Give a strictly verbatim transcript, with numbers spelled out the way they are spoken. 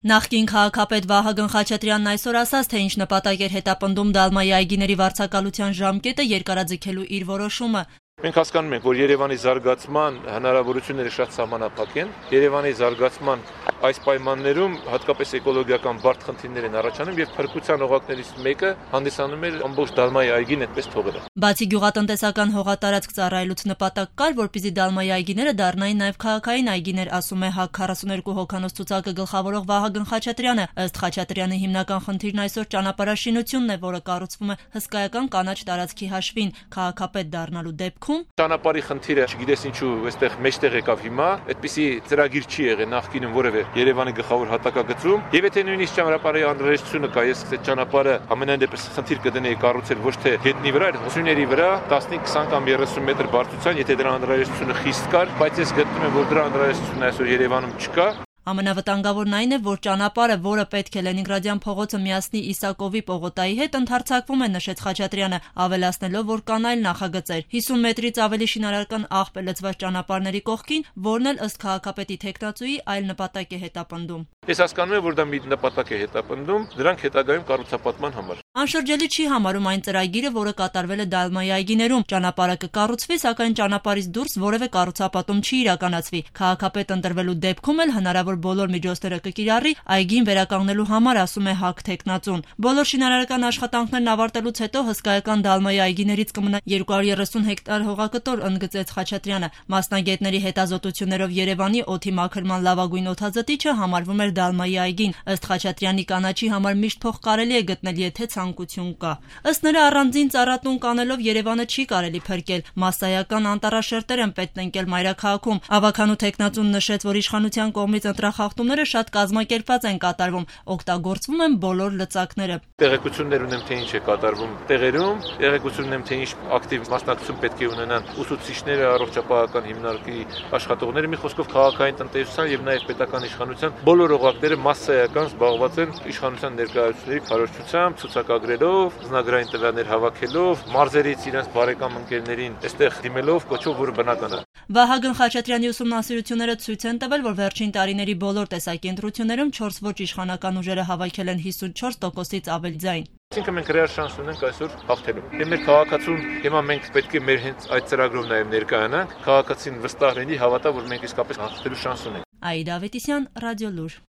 Նախկին քաղաքապետ Վահագն Խաչատրյանն այսօր ասաց, թե ինչ նպատակ էր հետապնդում Դալմայի այգիների վարձակալության ժամկետը երկարաձգելու իր որոշումը։ Մենք հասկանում ենք, որ Երևանի զարգացման հնարավորությունները շատ սահմանափակ են։ Երևանի զարգացման այս պայմաններում հատկապես էկոլոգիական բարդ խնդիրներ են առաջանում եւ փրկության օղակներից մեկը հանդիսանում էր ամբողջ Դալմայի այգին այդպես թողելը։ Բացի գյուղատնտեսական հողատարածք ծառայելուց նպատակ կար, որպեսզի Դալմայի այգիները դառնային նաեւ քաղաքային այգիներ, ասում է ՀԱԿ քառասուններկու հոգանոց ցուցակը գլխավորող Վահագն Խաչատրյանը։ Ըստ Խաչատրյանի հիմնական խնդիրն այսօր ճանապարհաշինությունն է, որը կառուցվում է հսկայական կանաչ տարածքի հաշվին։ Քաղաքապետ դառնալու դեպքում ճանապարհի խնդիրը, չգիտես ինչու, այստեղ մեջտեղ եկավ հիմա, այդպիսի ծրագիր չի եղել նախկինում որևէ Երևանի գլխավոր հատակագծում, եւ եթե նույնիսկ ճանապարհի անհրաժեշտությունը կա, ես այդ ճանապարհը ամենայն դեպս խնդիր կդնեի կառուցել ոչ թե գետնի վրա, այլ ուսումների վրա տասնհինգ քսան կամ երեսուն մետր բարձրության, եթե դրա անհրաժեշտությունը խիստ կար, բայց ես գտնում եմ, որ դրա անհրաժեշտությունը այսօր Երևանում չկա։ Ամենավտանգավորն այն է, որ ճանապարհը, որը պետք է Լենինգրադյան փողոցը միացնի Իսակովի պողոտայի հետ, ընդհարձակվում է, նշեց Խաչատրյանը, ավելացնելով, որ կան այլ նախագծեր։ հիսուն մետրից ավելի շինարարական աղբ է լցված ճանապարհների կողքին, որն էլ ըստ քաղաքապետի թեկնածուի այլ նպատակ է հետապնդում։ Ես հասկանում եմ, որ դա մի նպատակ է հետապնդում, դրանք հետագայում կառուցապատման համար։ Անշրջելի չի համարում այն ծրագիրը, որը կատարվել է Դալմայի այգիներում։ Ճանապարհը կկառուցվի, սակայն ճանապարհից դուրս որևէ կառուցապատում չի իրականացվի։ Քաղաքապետ ընտրվելու դեպքում էլ հնարավոր բոլոր միջոցները կկիրառի այգին վերականգնելու համար, ասում է ՀԱԿ թեկնածուն։ Բոլոր շինարարական աշխատանքներն ավարտելուց հետո հսկայական Դալմայի այգիներից կմնա երկու հարյուր երեսուն հեկտար հողակտոր, ընդգծեց Խաչատրյանը։ Մասնագետների հետազոտություններով Երևանի օդի մաքրման լավագույն օդազտիչը համարվում էր Դալմայի այգին։ Ըստ Խաչատրյանի կանաչի համար միշտ փող կարելի է գտնել, եթե ցանկություն կա։ Ըստ նրա առանձին ծառատուն կանելով Երևանը չի կարելի փրկել։ Մասսայական անտառաշերտեր են պետք տնկել մայրաքաղաքում։ Ավագանու թեկնածուն նշեց, որ իշխանության կողմից ընտրախախտումները շատ կազմակերպված են կատարվում, օգտագործվում են բոլոր լծակները։ Տեղեկություններ ունեմ, թե ինչ է կատարվում տեղերում, տեղեկություն ունեմ, թե ինչ ակտիվ մասնակցություն պետք է ունենան ուսուցիչները, առողջապահական հիմնարկի աշխատողները, մի խոսքով քաղաքային տնտեսության եւ նաեւ պետական իշխանության բոլոր օղակները մասսայական զբաղված են իշխանության ներկայացուցիչների քարոզչությամբ, ցուցակագրելով, զնագրային տվյալներ հավաքելով, մարզերից իրենց բարեկամ ընկերներին այստեղ դիմելով, կոչով, որը բնական է։ Վահագն Խաչատրյանի ուսումնասիրությունները ցույց են տվել, որ վերջին տարիների բոլոր տեսակի ընտրություններում չորս ոչ իշխանական ուժերը հավաքել են հիսունչորս տոկոսից ավելի ձայն։ Այսինքն մենք ռեալ շանս ունենք այսօր հաղթելու։ Եվ մեր քաղաքացուն հիմա մենք պետք է մեր հենց այդ ծրագրով նաև ներկայանանք, քաղաքացին վստահ լինի, հավատա, որ մենք իսկապես հաղթելու շանս ունենք։ Աիդա Ավետիսյան, Ռադիոլուր։